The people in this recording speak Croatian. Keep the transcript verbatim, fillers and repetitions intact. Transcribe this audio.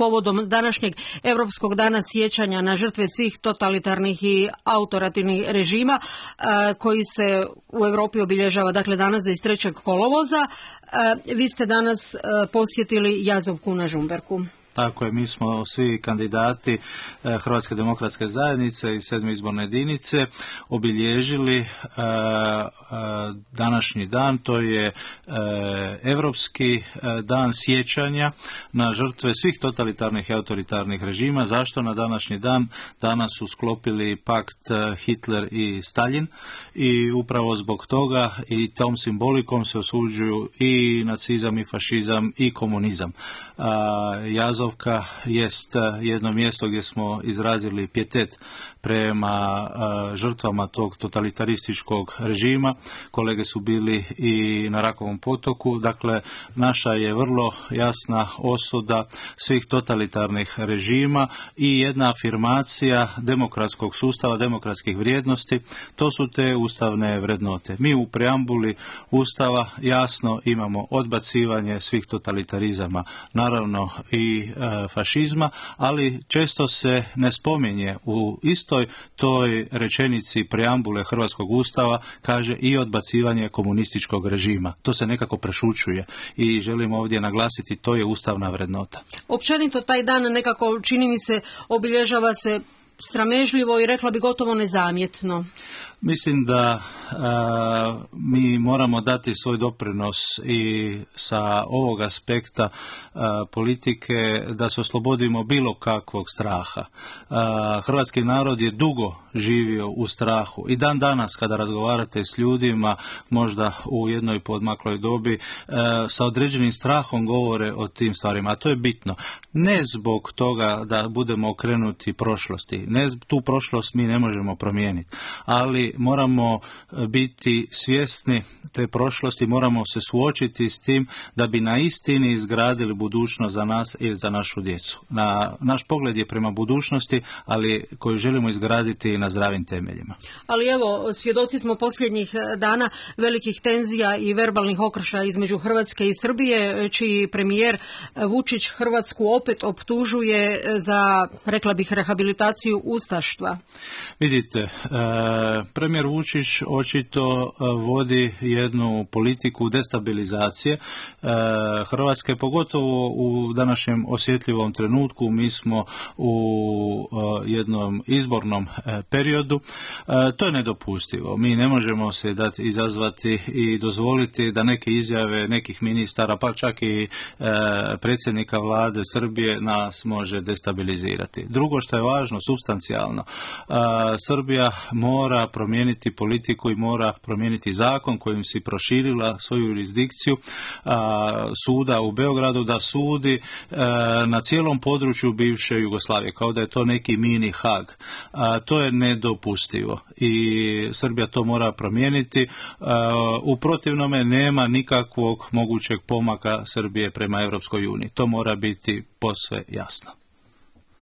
povodom današnjeg Europskog dana sjećanja na žrtve svih totalitarnih i autoritativnih režima koji se u Europi obilježava dakle danas dvadeset trećeg kolovoza. Vi ste danas posjetili Jazovku na Žumberku. Tako je, mi smo svi kandidati Hrvatske demokratske zajednice i sedme izborne jedinice obilježili današnji dan, to je Europski dan sjećanja na žrtve svih totalitarnih i autoritarnih režima. Zašto na današnji dan? Danas su sklopili pakt Hitler i Stalin i upravo zbog toga i tom simbolikom se osuđuju i nacizam i fašizam i komunizam. Jazovka jest jedno mjesto gdje smo izrazili pijetet prema žrtvama tog totalitarističkog režima. Kolege su bili i na Rakovom potoku. Dakle, naša je vrlo jasna osuda svih totalitarnih režima i jedna afirmacija demokratskog sustava, demokratskih vrijednosti. To su te ustavne vrednote. Mi u preambuli Ustava jasno imamo odbacivanje svih totalitarizama, naravno i e, fašizma, ali često se ne spominje u istoj toj rečenici preambule Hrvatskog Ustava, kaže i odbacivanje komunističkog režima. To se nekako prešućuje i želim ovdje naglasiti, to je ustavna vrednota. Općenito taj dan nekako, čini mi se, obilježava se sramežljivo i rekla bi gotovo nezamjetno. Mislim da a, mi moramo dati svoj doprinos i sa ovog aspekta a, politike da se oslobodimo bilo kakvog straha. A, hrvatski narod je dugo živio u strahu i dan danas kada razgovarate s ljudima, možda u jednoj podmakloj dobi, a, sa određenim strahom govore o tim stvarima, a to je bitno. Ne zbog toga da budemo okrenuti prošlosti, ne tu prošlost mi ne možemo promijeniti, ali moramo biti svjesni te prošlosti, moramo se suočiti s tim da bi na istini izgradili budućnost za nas i za našu djecu. Na, naš pogled je prema budućnosti, ali koju želimo izgraditi na zdravim temeljima. Ali evo, svjedoci smo posljednjih dana velikih tenzija i verbalnih okršaja između Hrvatske i Srbije, čiji premijer Vučić Hrvatsku opet optužuje za, rekla bih, rehabilitaciju ustaštva. Vidite, e, premijer Vučić očito vodi jednu politiku destabilizacije Hrvatske, pogotovo u današnjem osjetljivom trenutku. Mi smo u jednom izbornom periodu. To je nedopustivo. Mi ne možemo se dati izazvati i dozvoliti da neke izjave nekih ministara, pa čak i predsjednika vlade Srbije nas može destabilizirati. Drugo što je važno, supstancijalno, Srbija mora promijeniti politiku i mora promijeniti zakon kojim si proširila svoju jurisdikciju a, suda u Beogradu da sudi a, na cijelom području bivše Jugoslavije, kao da je to neki mini Hag. A, to je nedopustivo i Srbija to mora promijeniti. A, u protivnome nema nikakvog mogućeg pomaka Srbije prema Europskoj uniji. To mora biti posve jasno.